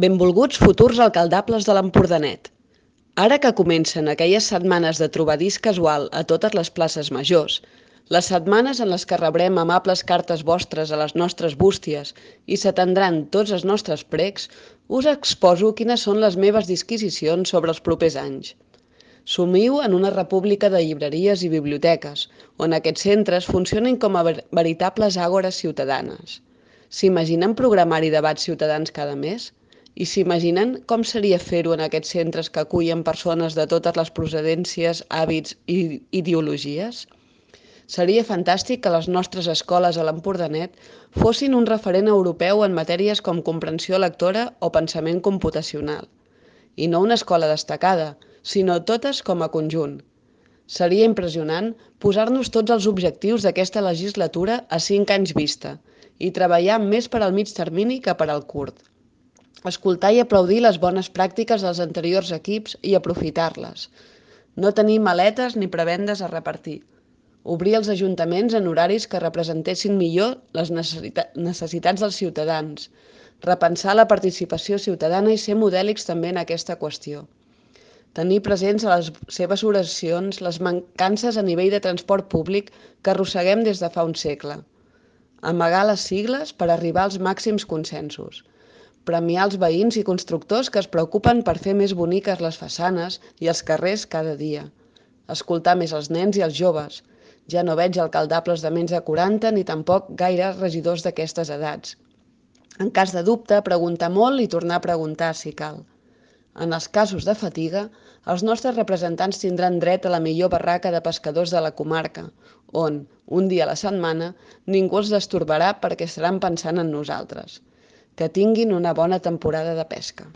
Benvolguts futurs alcaldables de l'Empordanet. Ara que comencen aquelles setmanes de trobadís casual a totes les places majors, les setmanes en les que rebrem amables cartes vostres a les nostres bústies i s'atendran tots els nostres precs, us exposo quines són les meves disquisicions sobre els propers anys. Somiu en una república de llibreries i biblioteques, on aquests centres funcionin com a veritables àgores ciutadanes. S'imaginen programar-hi debats ciutadans cada mes? I s'imaginen com seria fer-ho en aquests centres que acullen persones de totes les procedències, hàbits i ideologies? Seria fantàstic que les nostres escoles a l'Empordanet fossin un referent europeu en matèries com comprensió lectora o pensament computacional. I no una escola destacada, sinó totes com a conjunt. Seria impressionant posar-nos tots els objectius d'aquesta legislatura a 5 anys vista i treballar més per al mig termini que per al curt. Escoltar i aplaudir les bones pràctiques dels anteriors equips i aprofitar-les. No tenir maletes ni prebendes a repartir. Obrir els ajuntaments en horaris que representessin millor les necessitats dels ciutadans. Repensar la participació ciutadana i ser modèlics també en aquesta qüestió. Tenir presents a les seves oracions les mancances a nivell de transport públic que arrosseguem des de fa un segle. Amagar les sigles per arribar als màxims consensos. Premiar els veïns i constructors que es preocupen per fer més boniques les façanes i els carrers cada dia. Escoltar més els nens i els joves. Ja no veig alcaldables de menys de 40 ni tampoc gaire regidors d'aquestes edats. En cas de dubte, preguntar molt i tornar a preguntar si cal. En els casos de fatiga, els nostres representants tindran dret a la millor barraca de pescadors de la comarca, on, un dia a la setmana, ningú els destorbarà perquè estaran pensant en nosaltres. Que tinguin una bona temporada de pesca.